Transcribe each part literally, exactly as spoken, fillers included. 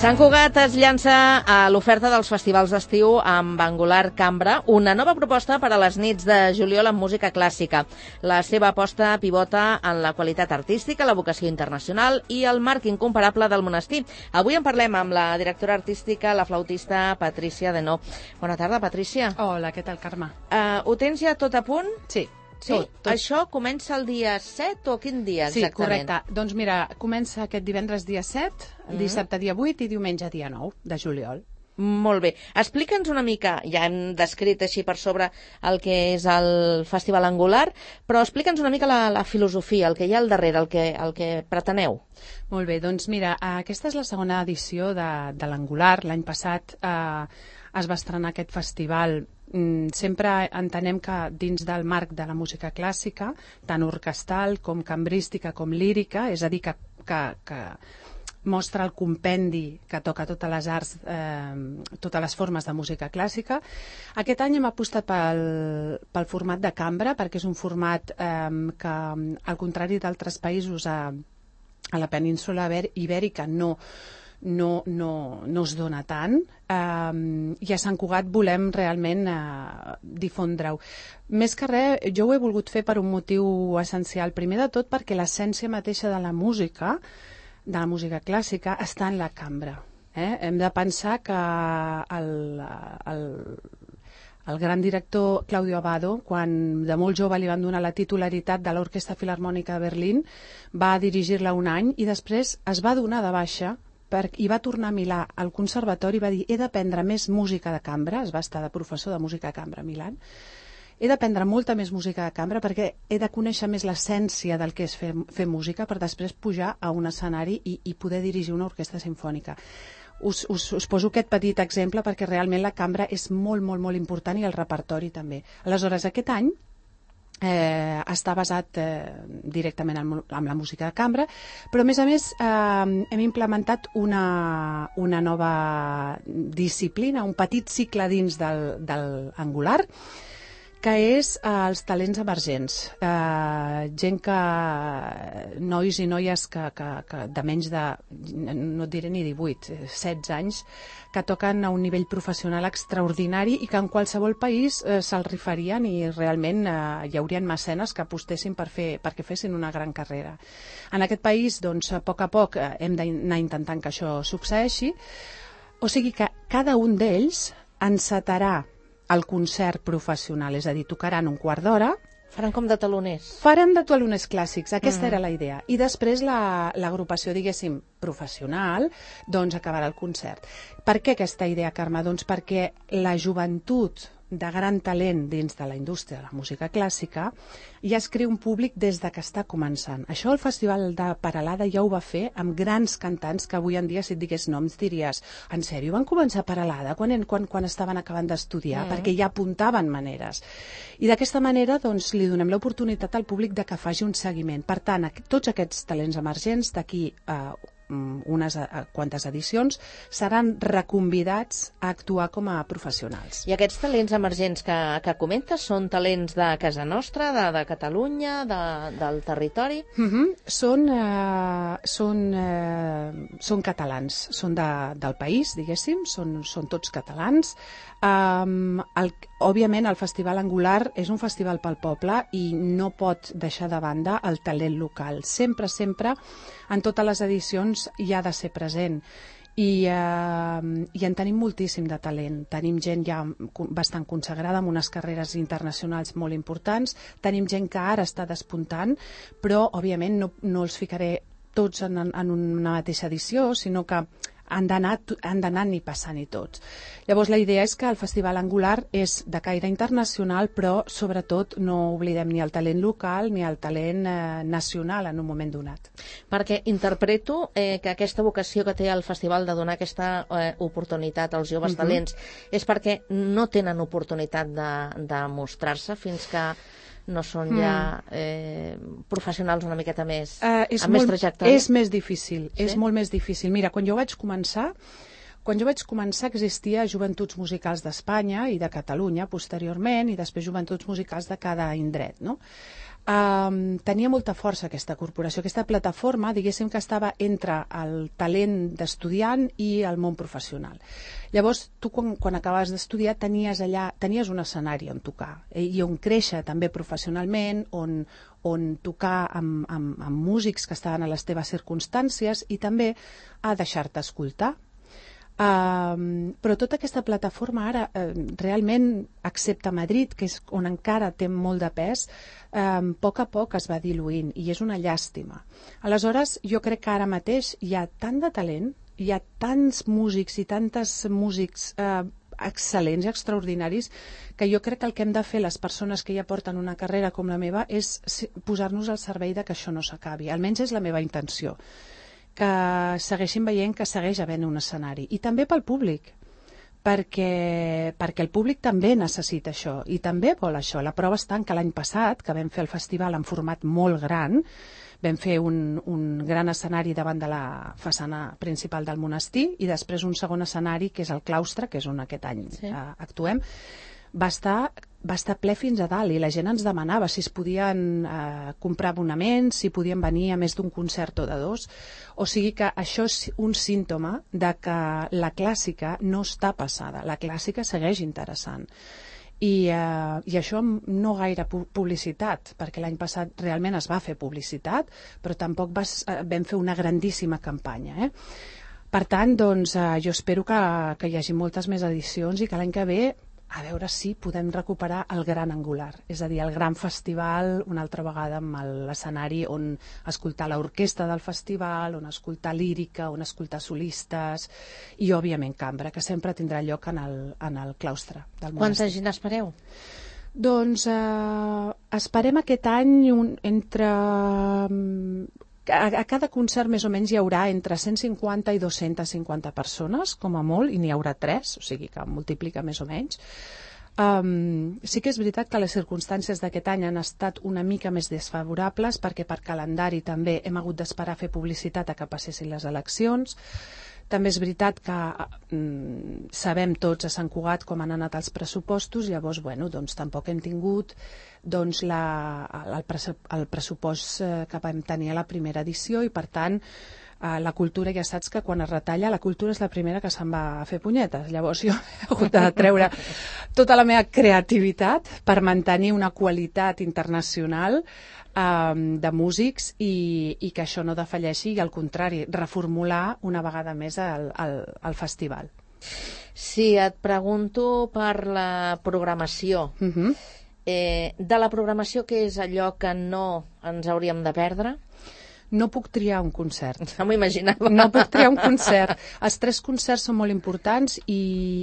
Sant Cugat es llança a l'oferta dels festivals d'estiu amb Angular Cambra, una nova proposta per a les nits de juliol amb música clàssica. La seva aposta pivota en la qualitat artística, la vocació internacional i el marc incomparable del monestir. Avui en parlem amb la directora artística, la flautista Patrícia Denó. Bona tarda, Patrícia. Hola, què tal, Carme? Uh, ho tens ja tot a punt? Sí. Sí? Tot, tot. Això comença el dia set o quin dia exactament? Sí, correcte. Doncs mira, comença aquest divendres dia set, mm. dissabte dia vuit i diumenge dia nou de juliol. Molt bé. Explica'ns una mica, ja hem descrit així per sobre el que és el Festival Angular, però explica'ns una mica la, la filosofia, el que hi ha al darrere, el que, el que preteneu. Molt bé, doncs mira, aquesta és la segona edició de, de l'Angular. L'any passat eh, es va estrenar aquest festival. Sempre entenem que dins del marc de la música clàssica, tant orquestral com cambrística com lírica, és a dir, que, que, que mostra el compendi que toca totes les arts, eh, totes les formes de música clàssica. Aquest any hem apostat pel, pel format de cambra, perquè és un format eh, que, al contrari d'altres països a, a la península ibèrica, no No, no, no es dona tant, um, i a Sant Cugat volem realment uh, difondre-ho. Més que res, jo ho he volgut fer per un motiu essencial. Primer de tot perquè l'essència mateixa de la música, de la música clàssica, està en la cambra. Eh? Hem de pensar que el, el, el gran director Claudio Abbado, quan de molt jove li van donar la titularitat de l'Orquestra Filharmònica de Berlín, va dirigir-la un any i després es va donar de baixa i va tornar a Milà al conservatori i va dir: he d'aprendre més música de cambra, es va estar de professor de música de cambra a Milà, he d'aprendre molta més música de cambra perquè he de conèixer més l'essència del que és fer, fer música per després pujar a un escenari i, i poder dirigir una orquestra simfònica. Us, us, us poso aquest petit exemple perquè realment la cambra és molt, molt, molt important i el repertori també. Aleshores, aquest any Eh, està basat eh, directament en, en la música de cambra, però a més a més eh, hem implementat una, una nova disciplina, un petit cicle dins del, del Angular, que és eh, els talents emergents. Eh, gent que, nois i noies que, que, que de menys de, no et diré ni divuit, setze anys, que toquen a un nivell professional extraordinari i que en qualsevol país eh, se'l rifarien i realment eh, hi haurien mecenes que apostessin per fer, perquè fessin una gran carrera. En aquest país, doncs, a poc a poc eh, hem d'anar intentant que això succeeixi, o sigui que cada un d'ells encetarà el concert professional, és a dir, tocaran un quart d'hora. Faran com de taloners. Faran de taloners clàssics, aquesta mm. era la idea. I després l'agrupació, la, diguéssim, professional, doncs acabarà el concert. Per què aquesta idea, Carme? Doncs perquè la joventut de gran talent dins de la indústria de la música clàssica ja es crea un públic des de que està començant. Això el Festival de Peralada ja ho va fer amb grans cantants que avui en dia, si et digués noms, diries: en sèrio, van començar a Peralada quan, quan, quan estaven acabant d'estudiar? Mm. Perquè ja apuntaven maneres. I d'aquesta manera doncs, li donem l'oportunitat al públic de que faci un seguiment. Per tant, tots aquests talents emergents d'aquí a eh, unes quantes edicions seran reconvidats a actuar com a professionals. I aquests talents emergents que, que comentes són talents de casa nostra, de, de Catalunya, de, del territori? Uh-huh. Són, uh, són, uh, són catalans, són de, del país, diguéssim, són, són tots catalans. Um, el, òbviament el Festival Angular és un festival pel poble i no pot deixar de banda el talent local. Sempre, sempre, en totes les edicions hi ha de ser present. I, eh, i en tenim moltíssim de talent. Tenim gent ja bastant consagrada amb unes carreres internacionals molt importants, tenim gent que ara està despuntant, però òbviament no, no els ficaré tots en, en una mateixa edició, sinó que han d'anar ni passant-hi tots. Llavors la idea és que el Festival Angular és de caire internacional, però sobretot no oblidem ni el talent local ni el talent eh, nacional en un moment donat. Perquè interpreto eh, que aquesta vocació que té el festival de donar aquesta eh, oportunitat als joves uh-huh. talents és perquè no tenen oportunitat de, de mostrar-se fins que no són ja eh, professionals una miqueta més, uh, amb molt, més trajectòria? És més difícil, sí? És molt més difícil. Mira, quan jo vaig començar, quan jo vaig començar existia Joventuts Musicals d'Espanya i de Catalunya posteriorment i després Joventuts Musicals de cada indret, no? Um, tenia molta força aquesta corporació, aquesta plataforma, diguéssim que estava entre el talent d'estudiant i el món professional. Llavors, tu quan, quan acabaves d'estudiar tenies allà, tenies un escenari on tocar eh, i on créixer també professionalment, on, on tocar amb, amb, amb músics que estaven a les teves circumstàncies i també a deixar-te escoltar. Um, però tota aquesta plataforma ara uh, realment, excepte Madrid, que és on encara té molt de pes, um, a poc a poc es va diluint i és una llàstima. Aleshores, jo crec que ara mateix hi ha tant de talent, hi ha tants músics i tantes músics uh, excel·lents i extraordinaris, que jo crec que el que hem de fer les persones que ja porten una carrera com la meva és posar-nos al servei de que això no s'acabi. Almenys és la meva intenció, que segueixin veient que segueix havent un escenari. I també pel públic, perquè, perquè el públic també necessita això i també vol això. La prova està en que l'any passat, que vam fer el festival en format molt gran, vam fer un, un gran escenari davant de la façana principal del monestir i després un segon escenari, que és el claustre, que és on aquest any sí. eh, actuem, va estar, va estar ple fins a dalt i la gent ens demanava si es podien eh, comprar abonaments, si podien venir a més d'un concert o de dos. O sigui que això és un símptoma de que la clàssica no està passada, la clàssica segueix interessant. I, eh, i això no gaire publicitat, perquè l'any passat realment es va fer publicitat, però tampoc vas, eh, vam fer una grandíssima campanya. Eh? Per tant, doncs, eh, jo espero que, que hi hagi moltes més edicions i que l'any que ve a veure si podem recuperar el gran angular, és a dir, el gran festival una altra vegada amb l'escenari on escoltar l'orquestra del festival, on escoltar lírica, on escoltar solistes i, òbviament, cambra, que sempre tindrà lloc en el, en el claustre del monestir. Quanta gent espereu? Doncs eh, esperem aquest any un, entre... A, a cada concert més o menys hi haurà entre cent cinquanta i dues-centes cinquanta persones, com a molt, i n'hi haurà tres, o sigui que multiplica més o menys. Um, sí que és veritat que les circumstàncies d'aquest any han estat una mica més desfavorables perquè per calendari també hem hagut d'esperar a fer publicitat a que passessin les eleccions. També és veritat que mm, sabem tots a Sant Cugat com han anat els pressupostos, llavors, bueno, doncs tampoc hem tingut doncs, la, el, el pressupost que vam tenir a la primera edició i, per tant, la cultura, ja saps que quan es retalla, la cultura és la primera que se'n va a fer punyetes. Llavors jo he hagut de treure tota la meva creativitat per mantenir una qualitat internacional um, de músics i, i que això no defalleixi i, al contrari, reformular una vegada més el, el, el festival. Si et pregunto per la programació, uh-huh. eh, de la programació, què és allò que no ens hauríem de perdre? No puc triar un concert. No m'ho imaginava. No puc triar un concert. Els tres concerts són molt importants i,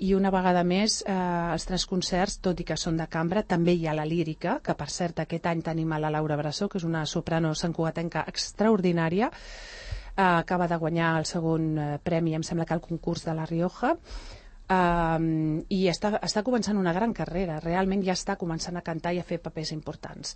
i una vegada més, eh, els tres concerts, tot i que són de cambra, també hi ha la lírica, que per cert aquest any tenim a la Laura Bressó, que és una soprano santcugatenca extraordinària, eh, acaba de guanyar el segon eh, premi, em sembla que al concurs de La Rioja, Um, i està, està començant una gran carrera, realment ja està començant a cantar i a fer papers importants.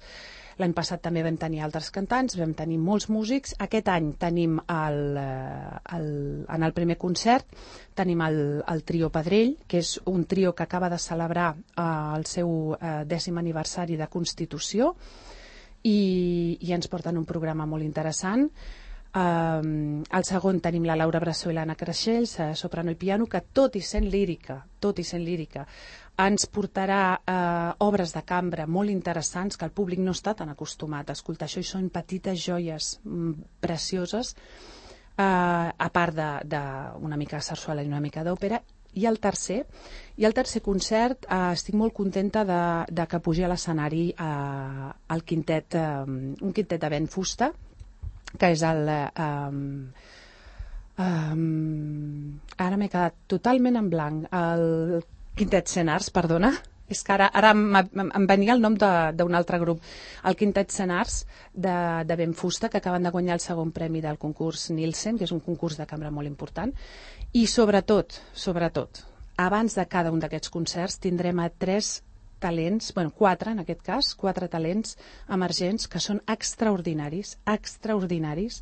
L'any passat també vam tenir altres cantants, vam tenir molts músics. Aquest any tenim el, el, en el primer concert tenim el, el trio Pedrell, que és un trio que acaba de celebrar uh, el seu uh, dècim aniversari de Constitució i, i ens porten un programa molt interessant. Um, al segon tenim la Laura Bressó i l'Anna Creixells, soprano i piano, que tot i sent lírica, tot i sent lírica, ens portarà uh, obres de cambra molt interessants que el públic no està tan acostumat a escoltar. Això i són petites joies mm, precioses, uh, a part de, de una mica de sarsuela i una mica d'òpera. I el tercer, i el tercer concert, eh, estic molt contenta de, de que pugi a l'escenari eh, el quintet, eh, un quintet de vent fusta, que és el... Um, um, ara m'he quedat totalment en blanc. El Quintet Senars, perdona. És que ara, ara em, em venia el nom d'un altre grup. El Quintet Senars de, de Benfusta, que acaben de guanyar el segon premi del concurs Nielsen, que és un concurs de cambra molt important. I sobretot, sobretot, abans de cada un d'aquests concerts tindrem a tres talents, bueno, quatre en aquest cas, quatre talents emergents que són extraordinaris, extraordinaris.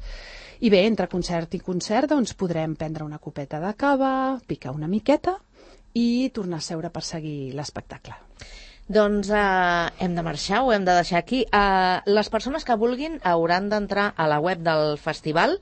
I bé, entre concert i concert, doncs podrem prendre una copeta de cava, picar una miqueta i tornar a seure per seguir l'espectacle. Doncs eh, hem de marxar, ho hem de deixar aquí. Eh, les persones que vulguin hauran d'entrar a la web del festival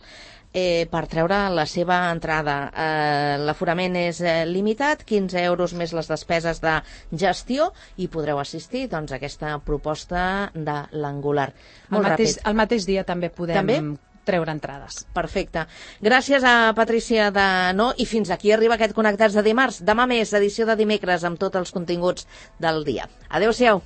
eh, per treure la seva entrada. Eh, L'aforament és eh, limitat, quinze euros més les despeses de gestió, i podreu assistir doncs, a aquesta proposta de l'Angular. El mateix, el mateix dia també podem... També? treure entrades. Perfecte. Gràcies a Patrícia Danó, i fins aquí arriba aquest Connectats de dimarts. Demà més, edició de dimecres, amb tots els continguts del dia. Adéu-siau.